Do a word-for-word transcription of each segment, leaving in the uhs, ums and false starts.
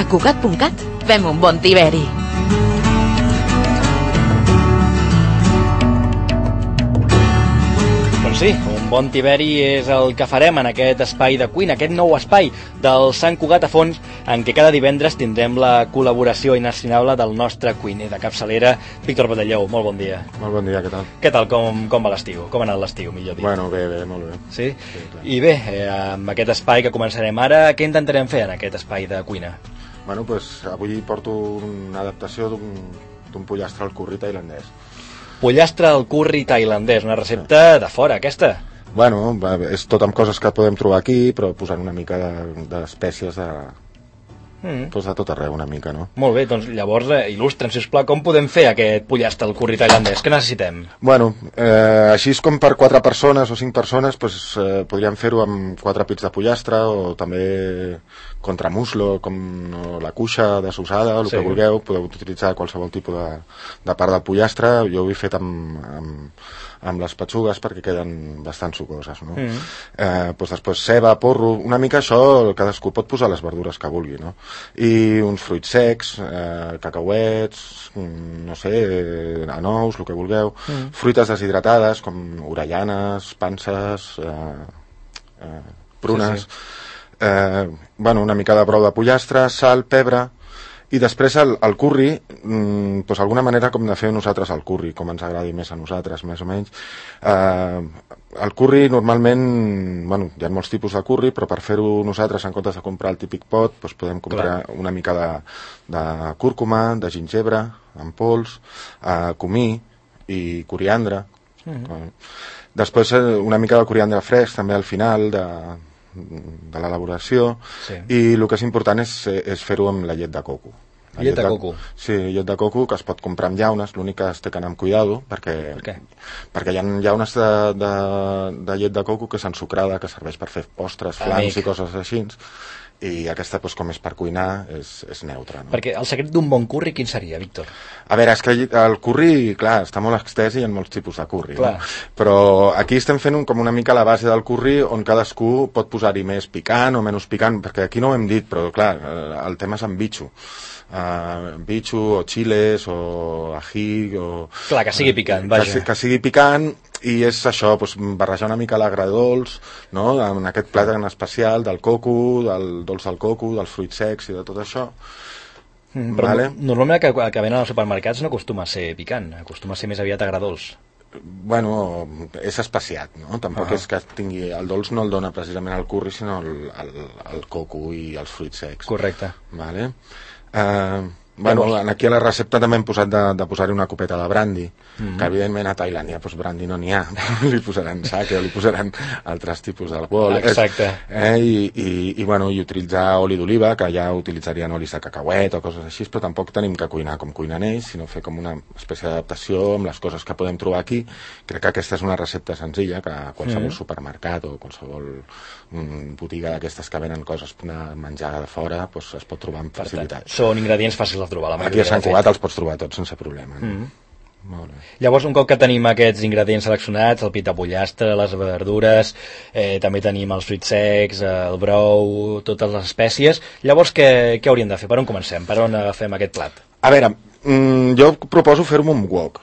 A Cugat punt cat fem un bon tiberi. Doncs sí, un bon tiberi és el que farem en aquest espai de cuina, aquest nou espai del Sant Cugat a Fons, en què cada divendres tindrem la col·laboració inestimable del nostre cuiner de capçalera, Víctor Badellou. Molt bon dia. Molt bon dia, què tal? Què tal, com, com va l'estiu? Com ha anat l'estiu, millor dit? Bueno, bé, bé, molt bé. Sí? Sí, clar. I bé, eh, amb aquest espai que començarem ara, què intentarem fer en aquest espai de cuina? Bueno, doncs avui porto una adaptació d'un d'un pollastre al curri tailandès. Pollastre al curri tailandès, una recepta de fora, aquesta. Bueno, va, és tot amb coses que podem trobar aquí, però posant una mica d'espècies de, Mm. doncs de tot arreu una mica, no? Molt bé, doncs llavors eh, il·lustre'm, sisplau, com podem fer aquest pollastre al curri tailandès? Què necessitem? Bueno, eh, així és com per quatre persones o cinc persones, doncs, eh, podríem fer-ho amb quatre pits de pollastre o també contramuslo, com no, la cuixa desossada, el Sí. que vulgueu. Podeu utilitzar qualsevol tipus de, de part del pollastre. Jo ho he fet amb, amb, amb les petxugues perquè queden bastant sucoses, no? Mm. Eh, doncs després ceba, porro, una mica això, cadascú pot posar les verdures que vulgui, no? I uns fruits secs, eh, cacauets, no sé, eh, anous, el que vulgueu, mm. fruites deshidratades com orellanes, panses, eh, eh, prunes, sí, sí. Eh, bueno, una mica de brou de pollastre, sal, pebre, i després el, el curri, mm, doncs alguna manera com de fer nosaltres el curri, com ens agradi més a nosaltres, més o menys. Eh, el curri normalment, bueno, hi ha molts tipus de curri, però per fer-ho nosaltres, en comptes de comprar el típic pot, doncs podem comprar Clar. una mica de, de cúrcuma, de gingebre, en pols, eh, comí i coriandre. Mm-hmm. Després una mica de coriandre fresc, també al final de... de l'elaboració, sí. I el que és important és, és fer-ho amb la llet de coco. La llet, llet de coco? Sí, llet de coco que es pot comprar amb llaunes, l'únic que es té que anar amb cuidado, perquè, per què? Perquè hi ha llaunes de, de, de llet de coco que és ensucrada, que serveix per fer postres, flams Amic. i coses així, i aquesta, doncs, com és per cuinar, és, és neutra. No? Perquè el secret d'un bon curri quin seria, Víctor? A veure, és que el curri, clar, està molt extès i hi ha molts tipus de curri, no? Però aquí estem fent un, com una mica la base del curri on cadascú pot posar-hi més picant o menys picant, perquè aquí no ho hem dit, però clar, el tema és amb bitxo. Uh, bitxo o chiles o ají o... Clar, que sigui picant, vaja. Que, que sigui picant i és això, doncs, barrejar una mica l'agradolç, no?, en aquest plat en especial del coco, del dolç del coco, dels fruits secs i de tot això. Mm, però vale? Normalment el que, que venen als supermercats no acostuma a ser picant, acostuma a ser més aviat agradolç. Bueno, és especiat, no? Tampoc uh-huh. és que tingui... El dolç no el dona precisament el curri, sinó el, el, el coco i els fruits secs. Correcte. Vale. Uh, bueno, aquí a la recepta també hem posat de, de posar-hi una copeta de brandy, mm-hmm. que evidentment a Tailàndia doncs brandy no n'hi ha, li posaran sake o li posaran altres tipus d'alcohol. Exacte. Eh, i, i, i, bueno, i utilitzar oli d'oliva, que ja utilitzarien olis de cacauet o coses així, però tampoc tenim que cuinar com cuinen ells, sinó fer com una espècie d'adaptació amb les coses que podem trobar aquí. Crec que aquesta és una recepta senzilla, que a qualsevol mm. supermercat o qualsevol mm, botiga d'aquestes que venen coses de menjar de fora doncs es pot trobar amb facilitat. Són ingredients fàcils de trobar. La aquí a Sant Cugat els pots trobar tots sense problema. No? Mm. Molt bé. Llavors, un cop que tenim aquests ingredients seleccionats, el pit de pollastre, les verdures, eh, també tenim els fruits secs, el brou, totes les espècies, llavors què, què hauríem de fer? Per on comencem? Per on agafem aquest plat? A veure, mm, jo proposo fer-ho amb un wok.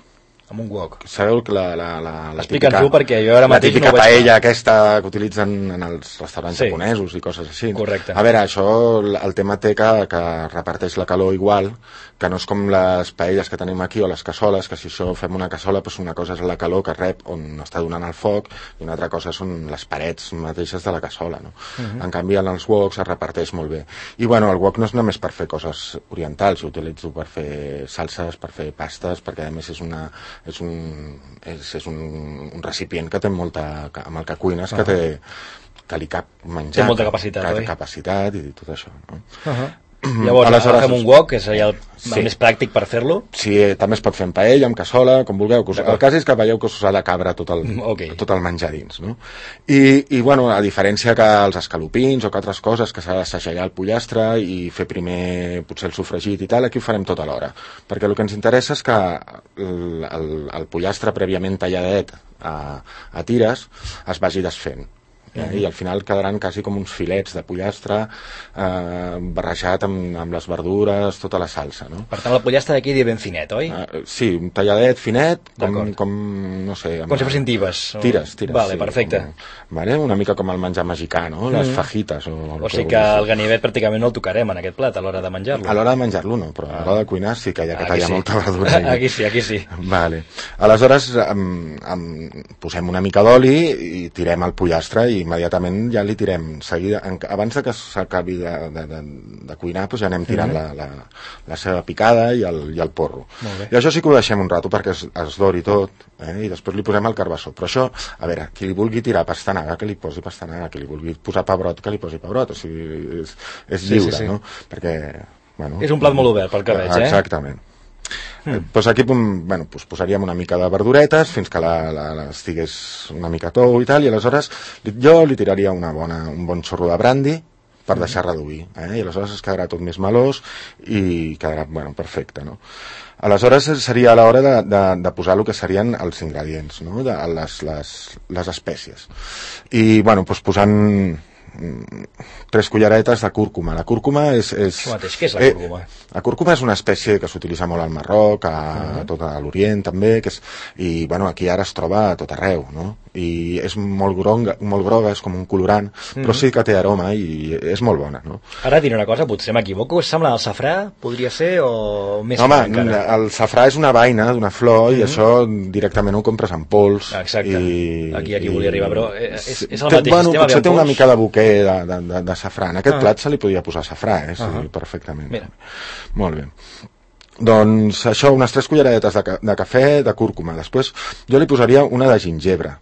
Amb un wok. Sabeu que la, la, la, la Explica'ns tu, perquè jo ara mateix no ho veig. La típica no paella aquesta que utilitzen en els restaurants sí. japonesos i coses així. Correcte. A veure, això, el tema té que, que reparteix la calor igual, que no és com les paelles que tenim aquí o les cassoles, que si això fem una cassola, doncs una cosa és la calor que rep on està donant el foc i una altra cosa són les parets mateixes de la cassola, no? Uh-huh. En canvi, en els woks es reparteix molt bé. I bueno, el wok no és només per fer coses orientals, jo utilitzo per fer salses, per fer pastes, perquè a més és una és un, és, és un, un recipient que té molta, amb el que cuines, uh-huh. que té que li cap menjar, té molta capacitat, que oi? té capacitat i tot això, no? Uh-huh. Llavors, Aleshores, fem un wok, que seria el, sí. el més pràctic per fer-lo? Sí, també es pot fer en paella, amb cassola, com vulgueu. El cas és que veieu que us ha de cabre tot el, okay. tot el menjar dins, no? I, i, bueno, a diferència que els escalopins o que altres coses que s'ha de segellar el pollastre i fer primer potser el sofregit i tal, aquí ho farem tot alhora. Perquè el que ens interessa és que el, el, el pollastre prèviament talladet a, a tires es vagi desfent. eh? Mm-hmm. I al final quedaran quasi com uns filets de pollastre eh, barrejat amb, amb les verdures, tota la salsa, no? Per tant, la pollastre d'aquí dia ben finet, oi? Uh, sí, un talladet finet, com, com no sé... Com si fossin tibes. O... Tires, tires. Vale, sí, perfecte. Com, vale? Una mica com el menjar mexicà, no? Les mm. fajitas. O, o sigui que, que el ganivet pràcticament no el tocarem en aquest plat a l'hora de menjar-lo. A l'hora de menjar-lo no, però a l'hora de cuinar sí que hi ha que tallar sí. molta verdura. Aquí sí, aquí sí. Vale. Aleshores, um, um, posem una mica d'oli i tirem el pollastre i immediatament ja li tirem seguida, abans de que s'acabi de, de, de, de cuinar, doncs ja anem tirant mm-hmm. la, la, la seva picada i el, i el porro. I això sí que ho deixem un rato perquè es, es dori tot, eh? I després li posem el carbassó. Però això, a veure, qui li vulgui tirar pastanaga, que li posi pastanaga, qui li vulgui posar pebrot, que li posi pebrot, o sigui, és, és sí, lliure, sí, sí. no? Perquè, bueno... És un plat molt obert, pel que veig, eh? Exactament. Mm. Pues aquí bueno, pues posaríem una mica de verduretes fins que la, la, la estigués una mica tou i tal, i aleshores jo li tiraria una bona, un bon xorro de brandi per mm. deixar reduir, eh? I aleshores es quedarà tot més melós i quedarà, bueno, perfecte, no? Aleshores seria a l'hora de, de, de posar el que serien els ingredients, no? De les, les, les espècies. I, bueno, pues posant tres culleretes de cúrcuma. La cúrcuma és... és Això mateix, què és la cúrcuma? Eh, la cúrcuma és una espècie que s'utilitza molt al Marroc, a, uh-huh. a tot l'Orient també, que és, i bueno, aquí ara es troba a tot arreu, no? I és molt groga, molt groga, és com un colorant, uh-huh. però sí que té aroma i és molt bona, no? Ara diré una cosa, potser m'equivoco, sembla el safrà, podria ser, o més Home, encara? El safrà és una vaina d'una flor uh-huh. i això directament ho compres en pols. Exacte, i, aquí, aquí i, volia arribar, però és, és el té, mateix bueno, sistema. Potser té una mica de buquer de, de, de, de safrà. En aquest uh-huh. plat se li podia posar safrà, eh? Sí, uh-huh. perfectament. Mira. Molt bé. Doncs això, unes tres culleretes de, de cafè de cúrcuma. Després jo li posaria una de gingebre,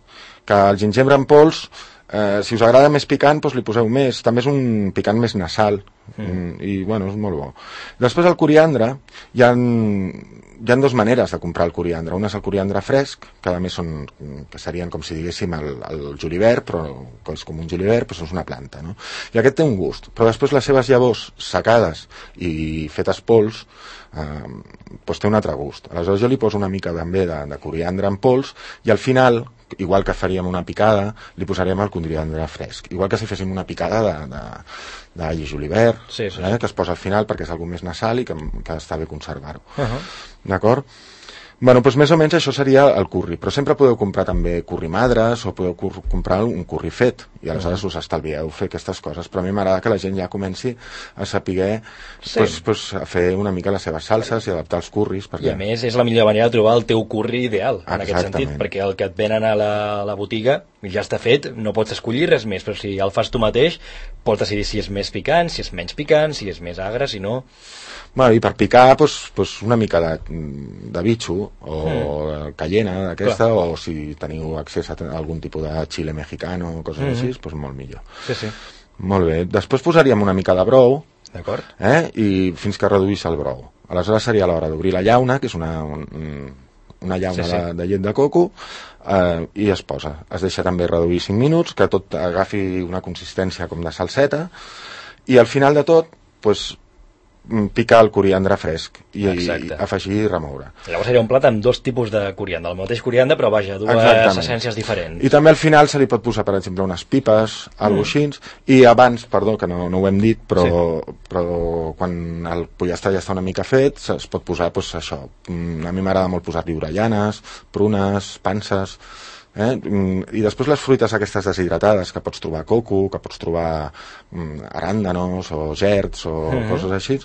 que el gingebre en pols, eh, si us agrada més picant, doncs li poseu més. També és un picant més nasal mm. i bueno, és molt bo. Després el coriandre, hi ha, hi ha dues maneres de comprar el coriandre. Una és el coriandre fresc, que a més són, que serien com si diguéssim el, el julivert, però que és com un julivert, però és una planta, no? I aquest té un gust, però després les seves llavors secades i fetes pols eh, doncs té un altre gust. Aleshores jo li poso una mica també de, de coriandre en pols i al final, igual que faríem una picada, li posarem el coriandre fresc. Igual que si féssim una picada de, de, d'all i julivert, sí, sí, eh, que es posa al final perquè és algo més nasal i que, que està bé conservar-ho. Uh-huh. D'acord? Bueno, doncs més o menys això seria el curri, però sempre podeu comprar també curri madres o podeu cur- comprar un curri fet i aleshores us estalvieu fer aquestes coses, però a mi m'agrada que la gent ja comenci a saber sí. pues, pues, a fer una mica les seves salses i adaptar els curris. Perquè... I a més és la millor manera de trobar el teu curri ideal, en Exactament. Aquest sentit, perquè el que et venen a la, a la botiga ja està fet, no pots escollir res més, però si el fas tu mateix pots decidir si és més picant, si és menys picant, si és més agre, si no... Bueno, i per picar pues, pues una mica de, de bitxo o mm. cayena d'aquesta, o si teniu accés a algun tipus de xile mexicano o coses mm. així, pues molt millor. Sí, sí. Molt bé. Després posaríem una mica de brou, d'acord, eh? I fins que reduís el brou. Aleshores seria l'hora d'obrir la llauna, que és una, un, una llauna sí, sí. De, de llet de coco, eh, i es posa. Es deixa també reduir cinc minuts, que tot agafi una consistència com de salseta, i al final de tot, pues, picar el coriandre fresc i, i afegir i remoure. Llavors seria un plat amb dos tipus de coriandre, el mateix coriandre però vaja, dues Exactament. Essències diferents. I també al final se li pot posar, per exemple, unes pipes, mm. algo així, i abans, perdó, que no, no ho hem dit, però, sí. però quan el pollastre ja està una mica fet, es pot posar, doncs, això, a mi m'agrada molt posar-li orellanes, prunes, panses... Eh? I després les fruites aquestes deshidratades, que pots trobar coco, que pots trobar mm, aràndanos o gerds o mm-hmm. coses així,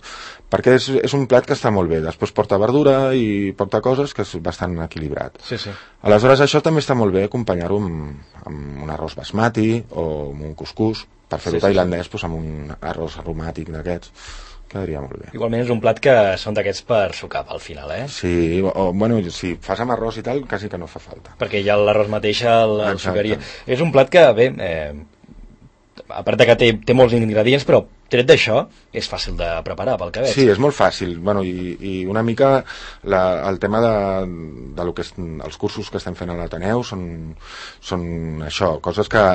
perquè és, és un plat que està molt bé. Després porta verdura i porta coses que és bastant equilibrat. Sí, sí. Aleshores això també està molt bé acompanyar-ho amb, amb un arròs basmati o amb un cuscús, per fer-ho sí, tailandès, sí. Doncs amb un arròs aromàtic d'aquests. Quedaria molt bé. Igualment és un plat que són d'aquests per sucar al final, eh? Sí, o, bueno, si fas amb arròs i tal, quasi que no fa falta. Perquè ja l'arròs mateix el, el sucaria. És un plat que, bé, eh, a part que té, té molts ingredients, però tret d'això, és fàcil de preparar pel que veig. Sí, és molt fàcil. Bueno, i, i una mica la, el tema de, de lo que és, els cursos que estem fent a l'Ateneu són, són això, coses que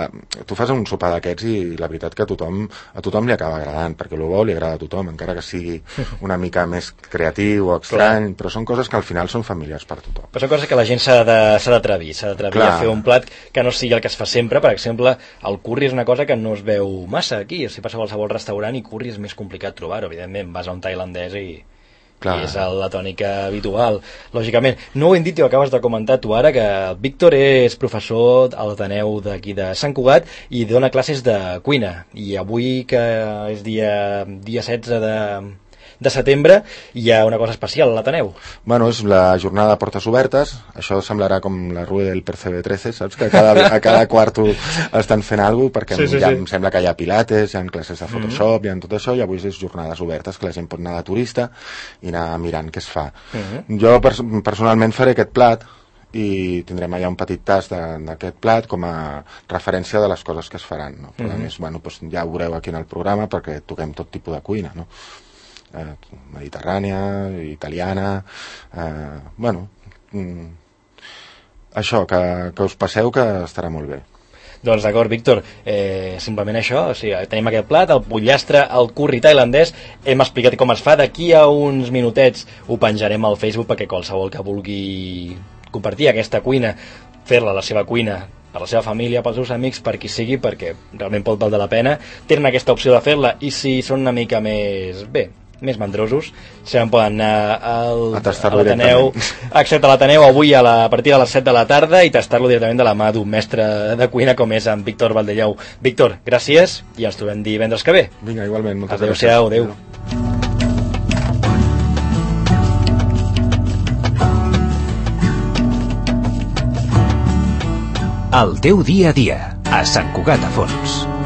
tu fas un sopar d'aquests i la veritat que a tothom, a tothom li acaba agradant, perquè el bo li agrada a tothom, encara que sigui una mica més creatiu o estrany, però són coses que al final són familiars per tothom. Però són coses que la gent s'ha d'atrevir, s'ha d'atrevir a fer un plat que no sigui el que es fa sempre. Per exemple, el curri és una cosa que no es veu massa aquí. Si passa a qualsevol restaurant i curri és més complicat trobar-ho. Evidentment, vas a un tailandès i, i és la tònica habitual, lògicament. No ho hem dit i ho acabes de comentar tu ara, que el Víctor és professor a l'Ateneu d'aquí de Sant Cugat i dona classes de cuina. I avui, que és dia, dia setze de... de setembre, hi ha una cosa especial a l'Ateneu. Bueno, és la jornada de portes obertes. Això semblarà com la rue del Percebe trece, saps? Que a cada, a cada quarto estan fent alguna cosa, perquè sí, sí, ja sí. Em sembla que hi ha pilates, hi ha classes de Photoshop, mm-hmm. hi ha tot això, i avui és jornades obertes, que la gent pot anar de turista i anar mirant què es fa. Mm-hmm. Jo pers personalment faré aquest plat i tindrem allà un petit tast d'aquest plat com a referència de les coses que es faran, no? Però mm-hmm. a més, bueno, doncs ja ho veureu aquí en el programa, perquè toquem tot tipus de cuina, no? Eh, mediterrània, italiana, eh, bueno, mm, això, que, que us passeu, que estarà molt bé. Doncs d'acord, Víctor, eh, simplement això, o sigui, tenim aquest plat, el pollastre, el curri tailandès, hem explicat com es fa, d'aquí a uns minutets ho penjarem al Facebook perquè qualsevol que vulgui compartir aquesta cuina, fer-la a la seva cuina, per la seva família, pels seus amics, per qui sigui, perquè realment pot valer la pena, tenen aquesta opció de fer-la, i si són una mica més, bé, més mandrosos, se'n poden anar al, a l'Ateneu, excepte a l'Ateneu avui a, la, a partir de les set de la tarda, i tastar-lo directament de la mà d'un mestre de cuina com és en Víctor Valdellau. Víctor, gràcies, i ens trobem divendres que ve. Vinga, igualment, moltes adeu gràcies. Adéu-siau, adéu. El teu dia a dia, a Sant Cugat a Fons.